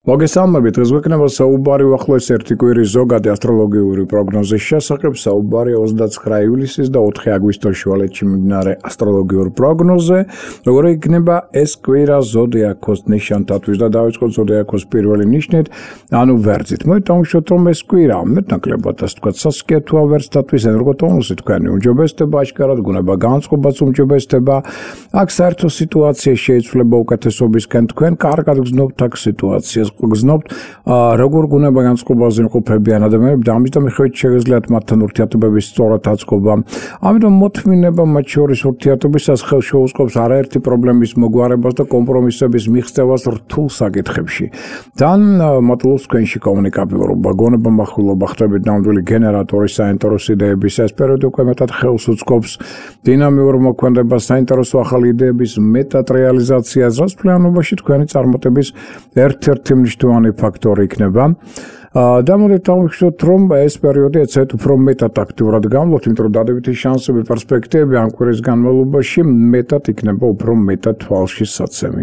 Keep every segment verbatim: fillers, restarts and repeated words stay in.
მოგესალმებით, დღეს გვექნება საუბარი უახლოეს ერთი კვირის ზოგადი ასტროლოგიური პროგნოზის შესახებ. საუბარი ოცდაცხრა ივლისის და ოთხი აგვისტოს შუალედში მიმდინარე ასტროლოგიურ პროგნოზზე. როგორ იქნება ეს კვირა ზოდიაქოს ნიშანთათვის და დავიწყოთ ზოდიაქოს პირველი ნიშნით, ანუ ვერძით. მოვიტანხმოთ, რომ ეს კვირა მეტნაკლებად ასე ვთქვათ, სასკია თუ ვერძთათვის ენერგოტონუსი თქვენი უმჯობესდება, აშკარად გუნება განწყობაც უმჯობესდება. აქ საერთო სიტუაცია შეიცვლება უკეთესობისკენ, თქვენ კარგად გრძნობთ აქ სიტუაციას. გზნობთ როგორ გუნება განწყობაზე იმყოფებიან ადამიანები და ამის მიხედვით შეგეძლიათ მათთან ურთიერთობების სწორად აწყობა. ამიტომ მოთმინება მათ შორის ურთიერთობისას ხელს შეუწყობს არაერთი პრობლემის მოგვარებას და კომპრომისების მიღწევას რთულ საკითხებში. თან მატლობს თქვენში კომუნიკაბილურობა, გონება, მახვილობა, ხდებით ნამდვილი გენერატორი საინტერესო იდეების. ეს პერიოდი უკვე მეტად ხელს უწყობს დინამიურ მოქმედებას, საინტერესო ახალი იდეების მეტად რეალიზაციას, რაც ფლანობაში თქვენი წარმატების ერთ-ერთი მნიშვნელოვანი ფაქტორი იქნება. და მოდით დავიშვათ, რომ ეს პერიოდი ეცეთ უფრო მეტად აქტიურად გამოვთ, იმიტომ რომ დადებითი შანსები, პერსპექტივები ამ კვირის განმავლობაში მეტად იქნება უფრო მეტად თვალში საცემი.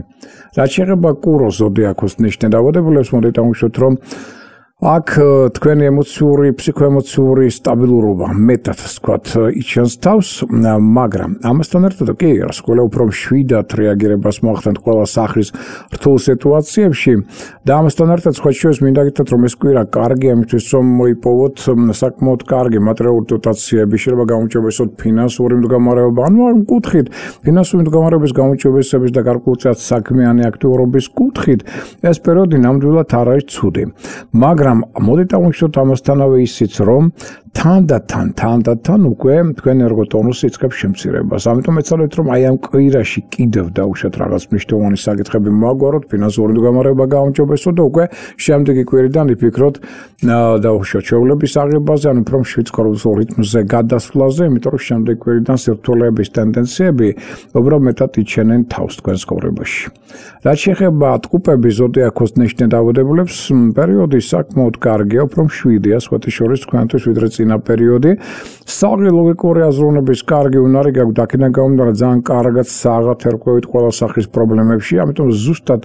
რაც შეეხება კუროს ზოდიაქოს ნიშნით დავადებულებს, მოდით დავიშვათ, რომ აქ თქვენი ემოციური, ფსიქოემოციური სტაბილურობა მეტად ვთქვათ იჩენს თავს, მაგრამ ამასთან ერთად კი რასკოლა უფრო მშვიდად რეაგირებას მოახდენთ ყველა სახის რთულ სიტუაციებში და ამასთან ერთად სხვა შორის მინდა გითხრათ, რომ ეს კვირა კარგია იმისთვის, რომ მოიპოვოთ საკმაოდ კარგი მატერიალური დოტაციები, შეიძლება გამოუჩვენოთ ფინანსური მდგომარეობა, ანუ ამ კუთხით ფინანსური მდგომარეობის გამოუჩვენების და გარკვეულწილად საქმიანი აქტიურობის კუთხით ეს პერიოდი ნამდვილად არ არის ცუდი. მაგრამ მოდით დავიშვათ ამასთანავე ისიც, რომ თან და თან, თან და თან უკვე თქვენ ენერგოტონუსი იწყებს შემცირებას. ამიტომ ეცადეთ, რომ აი ამ კვირაში კიდევ დავუშვათ რაღაც მნიშვნელოვანი საკითხები მოაგვაროთ, ფინანსური მდგომარეობა გაუმჯობესოთ და უკვე შემდეგი კვირიდან იფიქროთ დავუშვათ შეუძლების აღებაზე, ანუ უფრო მშვიდ ცხოვრებულ რიტმზე გადასვლაზე, იმიტომ რომ შემდეგი კვირიდან სირთულეების ტენდენციები უბრალოდ მეტად იჩენენ თავს თქვენ ცხოვრებაში. რაც შეეხება ტყუპების ზოდიაქოს ნიშნით დავადებულებს, პერიოდი საკმაოდ კარგია, უფრო მშვიდია, სხვათა შორის თქვენთვის ვიდრე წინა პერიოდი. საღი ლოგიკური აზროვნების კარგი უნარი გაქვთ, აქედან გამომდინარე ძალიან კარგად საღათ ერკვევით ყველა სახის პრობლემებში, ამიტომ ზუსტად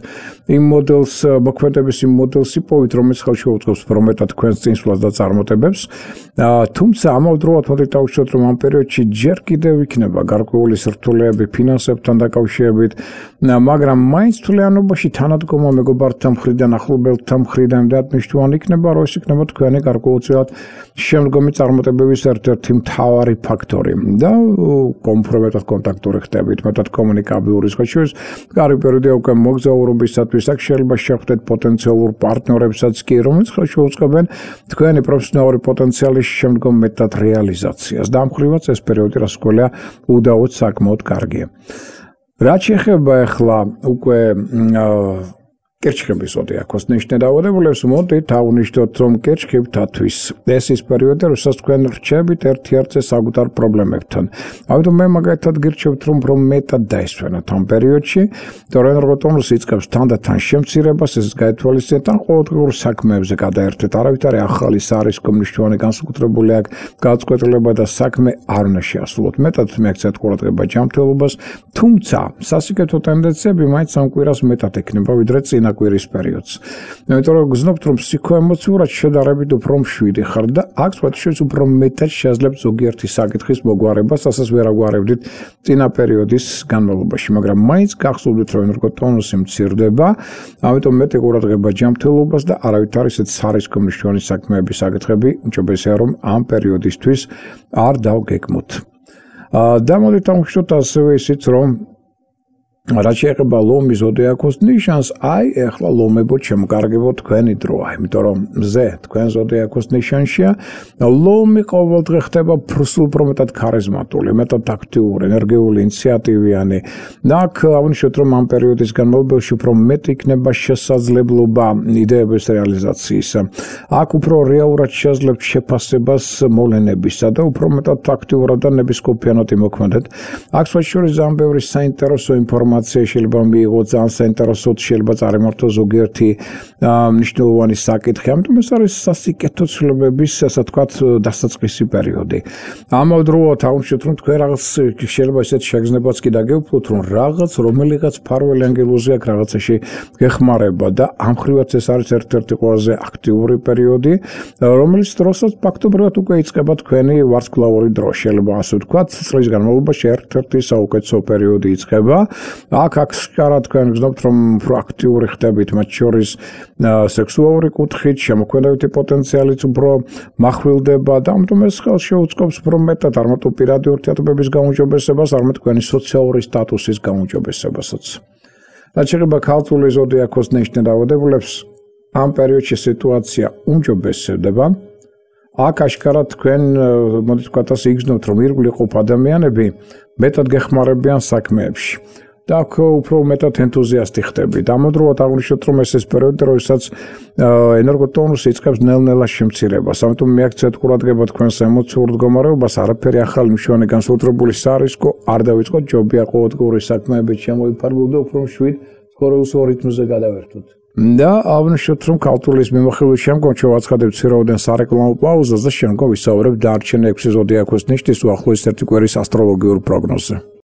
იმ მოდელს, მოქმედების იმ მოდელს იპოვით, რომელიც ხელს შეუწყობს უფრო მეტად თქვენს წინსვლას და წარმატებებს. თუმცა ამავდროულად მოდით დავუშვათ, რომ ამ პერიოდში ჯერ კიდევ იქნება გარკვეული სირთულეები ფინანსებთან დაკავშირებით, მაგრამ მაინც თვლიანობაში თანადგომა მეგობართა მხრიდან, ახლობელთა მხრიდან მნიშვნელოვანი იქნება, რომ ეს იქნება თქვენი გარკვეულწილად შემდგომი წარმატებების ერთ-ერთი მთავარი ფაქტორი და უფრო მეტად კონტაქტური ხდებით, მეტად კომუნიკაბილური სხვა შორის კარგი პერიოდია უკვე მოგზაურობისათვის, აქ შეიძლება შეხვდეთ პოტენციალურ პარტნიორებსაც კი, რომლებიც ხელს შეუწყობენ თქვენი პროფესიონალური პოტენციალის შემდგომ მეტად რეალიზაციას და ამ ხრივაც ეს პერიოდი რასკოლია უდაოდ საკმაოდ კარგია. რაც შეეხება ახლა უკვე კერჩხების ზოდიაქოს ნიშნით დავადებულებს, მოდით ავნიშნოთ, რომ კერჩხებთათვის ეს ის პერიოდი, როდესაც თქვენ რჩებით ერთ-ერთზე საკუთარ პრობლემებთან. ამიტომ მე მაგალითად გირჩევთ, რომ უფრო მეტად დაისვენოთ ამ პერიოდში, რომ ენერგოტონუსი იწყებს თანდათან შემცირებას, ეს გაითვალისწინეთ ან ყოველდღიურ საქმეებზე გადაერთეთ. არავითარი ახალი სარისკო მნიშვნელოვანი განსაკუთრებული აქ გაწყვეტილება და საქმე არ უნდა შეასრულოთ. მეტად მიაქცევთ ყურადღება ჯანმრთელობას, თუმცა სასიკეთო ტენდენციები მაინც ამ კვირას მეტად ექნება, ვიდრე წინა კვირის პერიოდს. იმიტომ რომ გზნობთ, რომ ფსიქოემოციურად შედარებით უფრო მშვიდი ხართ და აქ სხვათაშორის უფრო მეტად შეძლებთ ზოგიერთი საკითხის მოგვარებას, რასაც ვერ აგვარებდით წინა პერიოდის განმავლობაში, მაგრამ მაინც გახსოვდით, რომ ენერგოტონუსი მცირდება, ამიტომ მეტი ყურადღება ჯანმრთელობას და არავითარი ისეთ სარისკო მნიშვნელოვანი საქმეების საკითხები უმჯობესია, რომ ამ პერიოდისთვის არ დავგეგმოთ. და მოდით დავუშვათ ასევე ისიც, რომ რაც შეეხება ლომის ზოდიაქოს ნიშანს, აი ახლა ლომებო შემკარგებო თქვენი დროა, იმიტომ რომ მზე თქვენ ზოდიაქოს ნიშანშია, ლომი ყოველდღე ხდება უფრო მეტად ქარიზმატული, მეტად აქტიური, ენერგიული, ინიციატივიანი. და აქ აღნიშნოთ, რომ ამ პერიოდის განმავლობაში უფრო მეტი იქნება შესაძლებლობა იდეების რეალიზაციის. აქ უფრო რეალურად შეძლებთ შეფასებას მოვლენებისა და უფრო მეტად აქტიურად და ნებისყოფიანად იმოქმედეთ. აქ სხვა შორის ძალიან ბევრი საინტერესო ინფორმაცია ინფორმაცია შეიძლება მიიღოს, ძალიან საინტერესოდ შეიძლება წარიმართოს ზოგიერთი მნიშვნელოვანი საკითხი. ამიტომ ეს არის სასიკეთო ცვლილებების, ასე ვთქვათ, დასაწყისი პერიოდი. ამავდროულად აუჩვენთ, რომ თქვენ რაღაც შეიძლება ესეთ შეგრძნებაც კი დაგეუფლოთ, რომ რაღაც რომელიღაც ფარველი ანგელოზი აქვს რაღაცაში გეხმარება და ამ ხრივაც ეს არის ერთ-ერთი ყველაზე აქტიური პერიოდი, რომელიც დროსაც ფაქტობრივად უკვე იწყება თქვენი ვარსკვლავური დრო. შეიძლება ასე ვთქვათ, წლის განმავლობაში ერთ-ერთი საუკეთესო პერიოდი იწყება. აქ აქ სკარა თქვენ გზნობთ, რომ უფრო აქტიური ხდებით, მათ შორის სექსუალური კუთხით, შემოქმედებითი პოტენციალიც უფრო მახვილდება და ამიტომ ეს ხელს შეუწყობს უფრო მეტად არ მარტო პირადი ურთიერთობების გაუმჯობესებას, არამედ თქვენი სოციალური სტატუსის გაუმჯობესებასაც. რაც შეეხება ქალწული ზოდიაქოს ნიშნად დაავადებულებს, ამ პერიოდში სიტუაცია უმჯობესდება. აქ აშკარად თქვენ მოდით ვთქვათ ასე იგრძნობთ, რომ ირგვლივ ყოფ ადამიანები მეტად გეხმარებიან საქმეებში და აქ უფრო მეტად ენთუზიასტი ხდებით. ამავდროულად აღვნიშნოთ, რომ ეს ეს პერიოდი, როდესაც ენერგოტონუსი იწყებს ნელ-ნელა შემცირებას. ამიტომ მიაქცევთ ყურადღება თქვენს ემოციურ მდგომარეობას, არაფერი ახალი მშვენი განსაკუთრებული სარისკო არ დავიწყოთ, ჯობია ყოველდღიური საქმეებით შემოიფარგლოთ და უფრო მშვიდ ცხოვრების რიტმზე გადავერთოთ. და აღვნიშნოთ, რომ ქალწულის მიმოხილვის შემდგომ შევაცხადებთ ცირაოდენ სარეკლამო პაუზას და შემდგომ ვისაუბრებთ დარჩენილი ექვსი ზოდიაქოს ნიშნის უახლოესი ერთი კვირის ასტროლოგიურ პროგნოზზე.